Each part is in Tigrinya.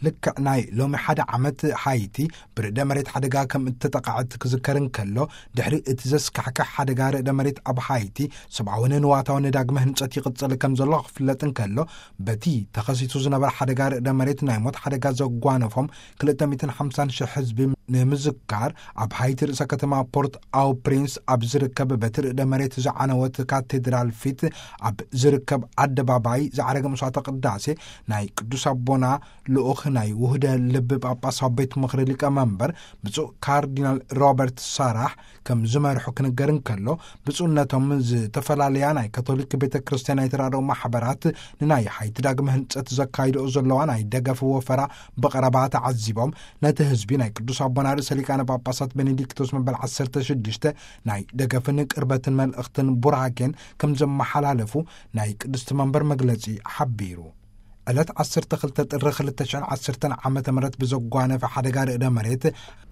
ልክዕ ናይ ሎሚ ሓደ ዓመት፣ ሃይቲ ብርዕደ መሬት ሓደጋ ከም እተጠቕዐት ክዝከር እንከሎ፣ ድሕሪ እቲ ዘስካሕክሕ ሓደጋ ርዕደ መሬት ኣብ ሃይቲ፣ ሰብኣውን ንዋታውን ዳግመ ህንጸት ይቕጽል ከም ዘሎ ክፍለጥ እንከሎ፣ በቲ ተኸሲቱ ዝነበረ ሓደጋ ርዕደ መሬት ናይ ሞት ሓደጋ ዘጓነፎም ክልተ ሚእትን ሓምሳን ሽሕ ህዝቢ ንምዝካር፣ ኣብ ሃይቲ ርእሰ ከተማ ፖርት ኣው ፕሪንስ ኣብ ዝርከብ በቲ ርዕደ መሬት ዝዓነወት ካቴድራል ፊት ኣብ ዝርከብ ኣደባባይ ዝዓረገ መስዋዕተ ቅዳሴ፣ ናይ ቅዱስ ኣቦና ልኡኽ ናይ ውህደ ልብ ጳጳሳዊ ቤት ምኽሪ ሊቀመንበር ብፁዕ ካርዲናል ሮበርት ሳራሕ ከም ዝመርሑ ክንገር እንከሎ፣ ብፁዕነቶም ዝተፈላለያ ናይ ካቶሊክ ቤተ ክርስቲያን ናይ ተራድኦ ማሕበራት ንናይ ሃይቲ ዳግመ ህንጸት ዘካይድኦ ዘለዋ ናይ ደገፍ ወፈራ ብቐረባ ተዓዚቦም፣ ነቲ ህዝቢ ናይ ቅዱስ ኣቦና ርእሰ ሊቃነ ጳጳሳት ቤኔዲክቶስ መበል ዓሰርተ ሽዱሽተ ናይ ደገፍን ቅርበትን መልእኽትን ቡራኬን ከም ዘመሓላለፉ ናይ ቅድስቲ መንበር መግለጺ ሓቢሩ። ዕለት ዓሰርተ ክልተ ጥሪ ክልተ ሽሕን ዓሰርተን ዓመተ ምህረት ብዘጓነፈ ሓደጋ ርዕደ መሬት፣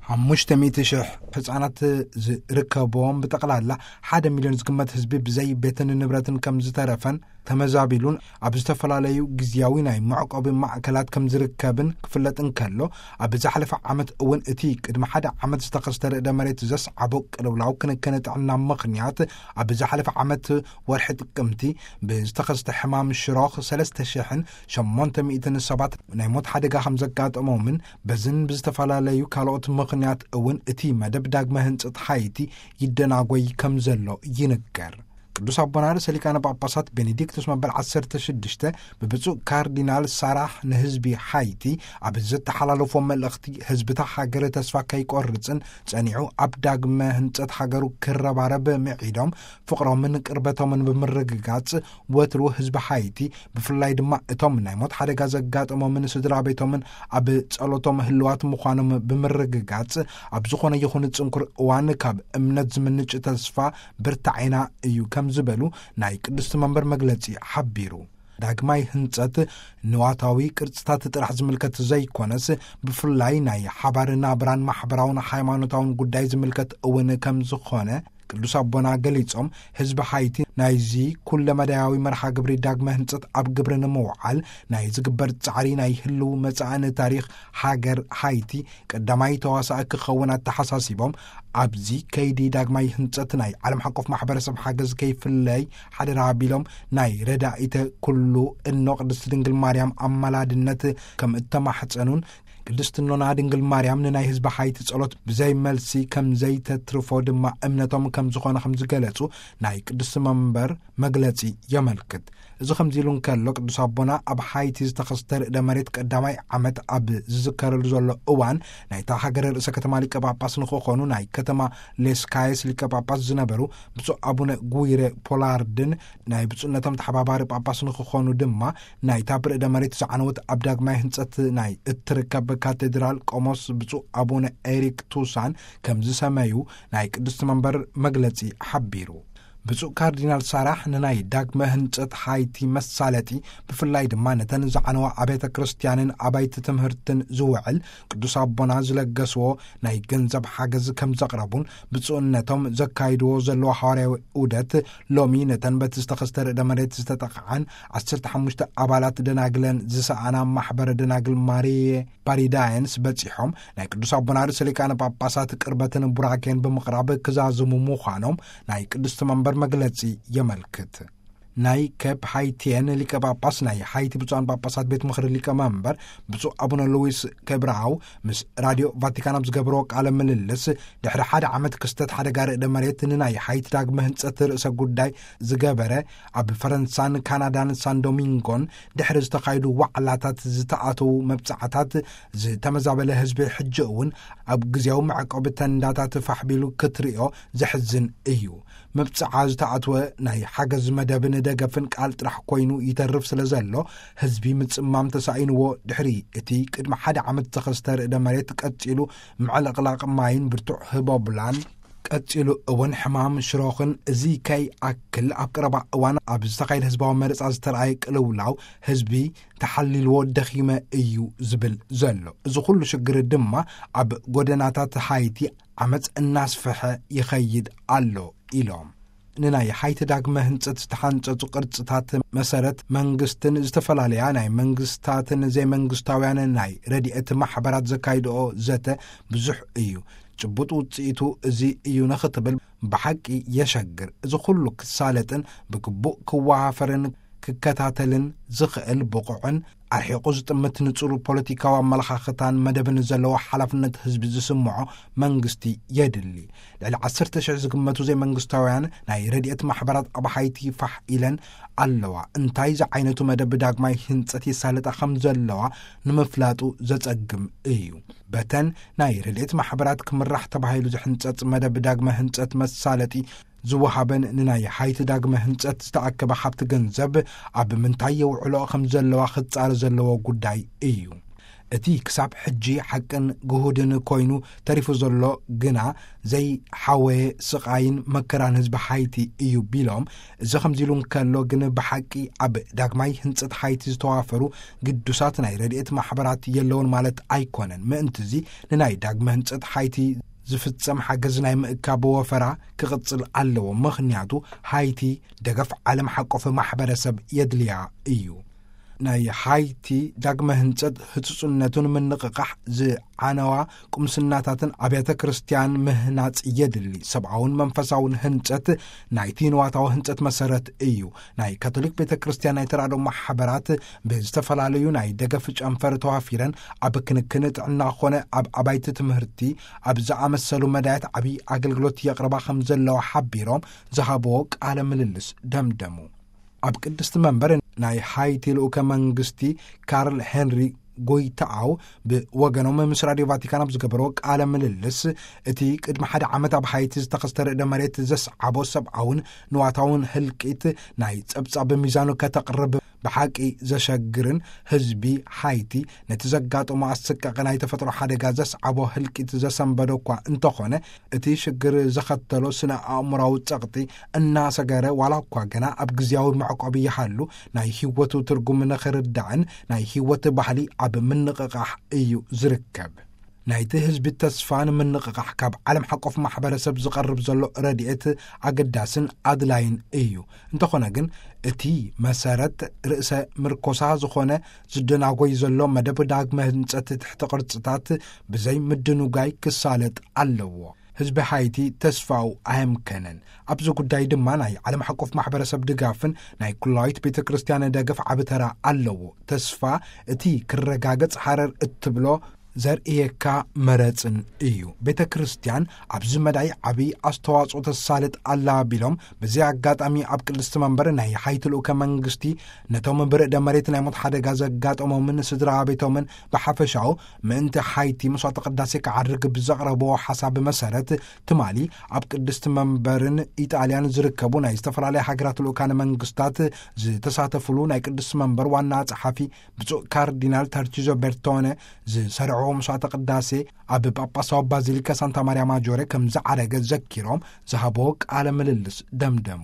ሓሙሽተ ሚእቲ ሽሕ ህጻናት ዝርከብዎም ብጠቕላላ ሓደ ሚልዮን ዝግመት ህዝቢ ብዘይ ቤትን ንብረትን ከም ዝተረፈን ተመዛቢሉን ኣብ ዝተፈላለዩ ግዝያዊ ናይ መዕቆቢ ማእከላት ከም ዝርከብን ክፍለጥ እንከሎ፣ ኣብ ዝሓለፈ ዓመት እውን እቲ ቅድሚ ሓደ ዓመት ዝተኸስተ ርዕደ መሬት ዘስዓቦ ቅልውላው ክንክን ጥዕና ምኽንያት፣ ኣብ ዝሓለፈ ዓመት ወርሒ ጥቅምቲ ብዝተኸስተ ሕማም ሽሮኽ ሰለስተ ሽሕን ሸሞንተ ሚእትን ሰባት ናይ ሞት ሓደጋ ከም ዘጋጠሞምን፣ በዝን ብዝተፈላለዩ ካልኦት ምኽንያት እውን እቲ መደብ ዳግመ ህንጸት ሃይቲ ይደናጎይ ከም ዘሎ ይንገር። ቅዱስ ኣቦና ርእሰ ሊቃነ ጳጳሳት ቤኔዲክቶስ መበል ዓሰርተ ሽዱሽተ ብብፁዕ ካርዲናል ሳራሕ ንህዝቢ ሃይቲ ኣብ ዘተሓላለፎ መልእኽቲ፣ ህዝብታ ሃገር ተስፋ ከይቆርጽን ጸኒዑ ኣብ ዳግመ ህንጸት ሃገሩ ክረባረብ ምዒዶም፣ ፍቕሮምን ቅርበቶምን ብምርግጋጽ፣ ወትሩ ህዝቢ ሃይቲ፣ ብፍላይ ድማ እቶም ናይ ሞት ሓደጋ ዘጋጠሞምን ስድራ ቤቶምን ኣብ ጸሎቶም ህልዋት ምዃኖም ብምርግጋጽ፣ ኣብ ዝኾነ ይኹን ጽንኩር እዋን ካብ እምነት ዝምንጭ ተስፋ ብርታዒና እዩ ከም ዝበሉ ናይ ቅድስቲ መንበር መግለጺ ሓቢሩ። ዳግማይ ህንጸት ንዋታዊ ቅርጽታት ጥራሕ ዝምልከት ዘይኮነስ፣ ብፍላይ ናይ ሓባር ናብራን ማሕበራውን ሃይማኖታውን ጉዳይ ዝምልከት እውን ከም ዝኾነ ቅዱስ ኣቦና ገሊጾም፣ ህዝቢ ሃይቲ ናይዚ ኩለመዳያዊ መርሃ ግብሪ ዳግመ ህንጸት ኣብ ግብሪ ንምውዓል ናይ ዝግበር ጻዕሪ ናይ ህልው መጻእን ታሪኽ ሃገር ሃይቲ ቀዳማይ ተዋሳኢ ክኸውን ኣተሓሳሲቦም፣ ኣብዚ ከይዲ ዳግማይ ህንጸት ናይ ዓለም ሓቆፍ ማሕበረሰብ ሓገዝ ከይፍለይ ሓደራ ኣቢሎም፣ ናይ ረዳኢተ ኩሉ እኖ ቅድስቲ ድንግል ማርያም ኣማላድነት ከም እተማሕጸኑን፣ ቅድስቲ እኖና ድንግል ማርያም ንናይ ህዝቢ ሃይቲ ጸሎት ብዘይ መልሲ ከም ዘይተትርፎ ድማ እምነቶም ከም ዝኾነ ከም ዝገለጹ ናይ ቅድስቲ መንበር መግለጺ የመልክት። እዚ ከምዚ ኢሉ እንከሎ፣ ቅዱስ ኣቦና ኣብ ሃይቲ ዝተኸስተ ርዕደ መሬት ቀዳማይ ዓመት ኣብ ዝዝከረሉ ዘሎ እዋን፣ ናይታ ሃገረ ርእሰ ከተማ ሊቀ ጳጳስ ንክኾኑ ናይ ከተማ ሌስካየስ ሊቀ ጳጳስ ዝነበሩ ብፁዕ ኣቡነ ጉይረ ፖላርድን ናይ ብፁዕነቶም ተሓባባሪ ጳጳስ ንክኾኑ ድማ፣ ናይታ ብርዕደ መሬት ዝዓነወት ኣብ ዳግማይ ህንጸት ናይ እትርከብ ካቴድራል ቆሞስ ብፁዕ ኣቡነ ኤሪክ ቱሳን ከም ዝሰመዩ ናይ ቅድስቲ መንበር መግለጺ ሓቢሩ። ብፁዕ ካርዲናል ሳራሕ ንናይ ዳግመ ህንጸት ሃይቲ መሳለጢ፣ ብፍላይ ድማ ነተን ዝዓነዋ ኣብያተ ክርስቲያንን ኣባይቲ ትምህርትን ዝውዕል ቅዱስ ኣቦና ዝለገስዎ ናይ ገንዘብ ሓገዝ ከም ዘቕረቡን፣ ብፁዕነቶም ዘካይድዎ ዘለዋ ሃዋርያዊ ዑደት ሎሚ ነተን በቲ ዝተኸስተ ርዕደ መሬት ዝተጠቕዓን ዓሰርተ ሓሙሽተ ኣባላት ደናግለን ዝሰኣና ማሕበረ ደናግል ማሪየ ፓሪዳየንስ በጺሖም ናይ ቅዱስ ኣቦና ርእሰ ሊቃነ ጳጳሳት ቅርበትን ቡራኬን ብምቕራብ ክዛዝሙ ምዃኖም ናይ ቅድስቲ መንበር መግለጺ የመልክት። ናይ ኬፕ ሃይቲየን ሊቀ ጳጳስ ናይ ሃይቲ ብፁዓን ጳጳሳት ቤት ምኽሪ ሊቀ መንበር ብፁዕ ኣቡነ ሉዊስ ኬብራው ምስ ራድዮ ቫቲካን ኣብ ዝገብርዎ ቃለ ምልልስ፣ ድሕሪ ሓደ ዓመት ክስተት ሓደጋ ርዕደ መሬት ንናይ ሃይቲ ዳግመ ህንጸት ርእሰ ጉዳይ ዝገበረ፣ ኣብ ፈረንሳን ካናዳን ሳን ዶሚንጎን ድሕሪ ዝተኻየዱ ዋዕላታት ዝተኣተዉ መብጻዕታት፣ ዝተመዛበለ ህዝቢ ሕጂ እውን ኣብ ግዜያዊ መዕቆቢ ተንዳታት ፋሕ ቢሉ ክትርእዮ ዘሕዝን እዩ። መብጽዓ ዝተኣትወ ናይ ሓገዝ መደብን ደገፍን ቃል ጥራሕ ኮይኑ ይተርፍ ስለ ዘሎ፣ ህዝቢ ምጽማም ተሳኢንዎ፣ ድሕሪ እቲ ቅድሚ ሓደ ዓመት ዝተኸስተ ርዕደ መሬት ቀጺሉ ምዕልቕላቕ ማይን ብርቱዕ ህቦብላን፣ ቀጺሉ እውን ሕማም ሽሮኽን፣ እዚ ከይኣክል ኣብ ቀረባ እዋን ኣብ ዝተኻየደ ህዝባዊ መረጻ ዝተረኣየ ቅልውላው፣ ህዝቢ ተሓሊልዎ ደኺመ እዩ ዝብል ዘሎ። እዚ ኩሉ ሽግር ድማ ኣብ ጎደናታት ሃይቲ ዓመጽ እናስፍሐ ይኸይድ ኣሎ ኢሎም። ንናይ ሓይቲ ዳግመ ህንጸት ዝተሓንጸጹ ቅርጽታት መሰረት መንግስትን ዝተፈላለያ ናይ መንግስታትን ዘይመንግስታውያን ናይ ረድኤት ማሕበራት ዘካይድኦ ዘተ ብዙሕ እዩ። ጭቡጥ ውጽኢቱ እዚ እዩ ንኽትብል ብሓቂ የሸግር። እዚ ኩሉ ክሳለጥን ብግቡእ ክወሃፈርን ክከታተልን ዝኽእል ብቑዕን ኣርሒቑ ዝጥምት ንጹር ፖለቲካዊ ኣመለኻኽታን መደብን ዘለዎ ሓላፍነት ህዝቢ ዝስምዖ መንግስቲ የድሊ። ልዕሊ ዓሰርተ ሽሕ ዝግመቱ ዘይመንግስታውያን ናይ ረድኤት ማሕበራት ኣብ ሓይቲ ፋሕ ኢለን ኣለዋ። እንታይ ዝዓይነቱ መደብ ዳግማይ ህንጸት ይሳለጣ ከም ዘለዋ ንምፍላጡ ዘጸግም እዩ። በተን ናይ ረድኤት ማሕበራት ክምራሕ ተባሂሉ ዝሕንጸጽ መደብ ዳግመ ህንጸት መሳለጢ ዝወሃበን ንናይ ሓይቲ ዳግመ ህንጸት ዝተኣከበ ሃብቲ ገንዘብ ኣብ ምንታይ የውዕሎ ከም ዘለዋ ክጻረ ዘለዎ ጉዳይ እዩ። እቲ ክሳብ ሕጂ ሓቅን ግሁድን ኮይኑ ተሪፉ ዘሎ ግና ዘይሓወየ ስቓይን መከራን ህዝቢ ሓይቲ እዩ ቢሎም፣ እዚ ከምዚ ኢሉ እንከሎ ግን ብሓቂ ኣብ ዳግማይ ህንጸት ሓይቲ ዝተዋፈሩ ግዱሳት ናይ ረድኤት ማሕበራት የለውን ማለት ኣይኮነን። ምእንትዚ ንናይ ዳግመ ህንጸት ሓይቲ ዝፍጸም ሓገዝ ናይ ምእካብ ወፈራ ክቕጽል ኣለዎ። ምኽንያቱ ሓይቲ ደገፍ ዓለም ሓቆፍ ማሕበረሰብ የድልያ እዩ። ናይ ሓይቲ ዳግመ ህንጸት ህጹጽነቱን ምንቕቓሕ ዝዓነዋ ቁምስናታትን ኣብያተ ክርስቲያን ምህናጽ የድሊ። ሰብኣውን መንፈሳውን ህንጸት ናይቲ ንዋታዊ ህንጸት መሰረት እዩ። ናይ ካቶሊክ ቤተ ክርስቲያን ናይ ተራድኦ ማሕበራት ብዝተፈላለዩ ናይ ደገፍ ጨንፈር ተዋፊረን ኣብ ክንክን ጥዕና ኾነ ኣብ ኣባይቲ ትምህርቲ ኣብ ዝኣመሰሉ መዳያት ዓብዪ ኣገልግሎት የቕርባ ከም ዘለዋ ሓቢሮም ዝሃብዎ ቃለ ምልልስ ደምደሙ። ኣብ ቅድስቲ መንበር ናይ ሃይቲ ልኡከ መንግስቲ ካርል ሄንሪ ጎይታኣው ብወገኖም ምስ ራድዮ ቫቲካን ኣብ ዝገበርዎ ቃለ ምልልስ፣ እቲ ቅድሚ ሓደ ዓመት ኣብ ሃይቲ ዝተኸስተ ርእደ መሬት ዘስዓቦ ሰብኣውን ንዋታውን ህልቂት ናይ ጸብጻብ ሚዛኑ ከተቕርብ ብሓቂ ዘሸግርን፣ ህዝቢ ሃይቲ ነቲ ዘጋጠሞ ኣሰቃቂ ናይ ተፈጥሮ ሓደጋ ዘስዓቦ ህልቂት ዘሰንበዶ እኳ እንተኾነ፣ እቲ ሽግር ዘኸተሎ ስነ ኣእምራዊ ጸቕጢ እናሰገረ፣ ዋላ እኳ ገና ኣብ ግዝያዊ መዕቆቢ ይሃሉ፣ ናይ ህይወቱ ትርጉም ንኽርዳእን ናይ ህይወት ባህሊ ኣብ ምንቕቓሕ እዩ ዝርከብ። ናይቲ ህዝቢ ተስፋ ንምንቕቓሕ ካብ ዓለም ሓቆፍ ማሕበረሰብ ዝቐርብ ዘሎ ረድኤት ኣገዳስን ኣድላይን እዩ። እንተኾነ ግን፣ እቲ መሰረት ርእሰ ምርኮሳ ዝኾነ ዝደናጎይ ዘሎ መደብ ዳግመ ህንጸት ትሕቲ ቅርጽታት ብዘይ ምድንጓይ ክሳለጥ ኣለዎ። ህዝቢ ሃይቲ ተስፋኡ ኣየምከነን። ኣብዚ ጉዳይ ድማ ናይ ዓለም ሓቆፍ ማሕበረሰብ ድጋፍን ናይ ኩላዊት ቤተ ክርስቲያን ደገፍ ዓቢ ተራ ኣለዎ። ተስፋ እቲ ክረጋገጽ ሃረር እትብሎ ዘርእየካ መረጽን እዩ። ቤተ ክርስቲያን ኣብዚ መዳይ ዓቢ ኣስተዋጽኦ ተሳልጥ ኣላ ቢሎም፣ በዚ ኣጋጣሚ ኣብ ቅድስቲ መንበር ናይ ሃይቲ ልኡከ መንግስቲ ነቶም ብርእደ መሬት ናይ ሞት ሓደጋ ዘጋጠሞምን ስድራ ቤቶምን ብሓፈሻኡ ምእንቲ ሃይቲ መስዋዕተ ቅዳሴ ክዓርግ ብዘቕረብዎ ሓሳብ መሰረት፣ ትማሊ ኣብ ቅድስቲ መንበርን ኢጣልያን ዝርከቡ ናይ ዝተፈላለያ ሃገራት ልኡካነ መንግስታት ዝተሳተፉሉ ናይ ቅድስቲ መንበር ዋና ጸሓፊ ብፁዕ ካርዲናል ታርቺዞ ቤርቶነ ዝሰርዕዎ መስዋዕተ ቅዳሴ ኣብ ጳጳሳዊ ባዚሊካ ሳንታ ማርያ ማጆሬ ከም ዝዓረገ ዘኪሮም ዝሃብዎ ቃለ ምልልስ ደምደሙ።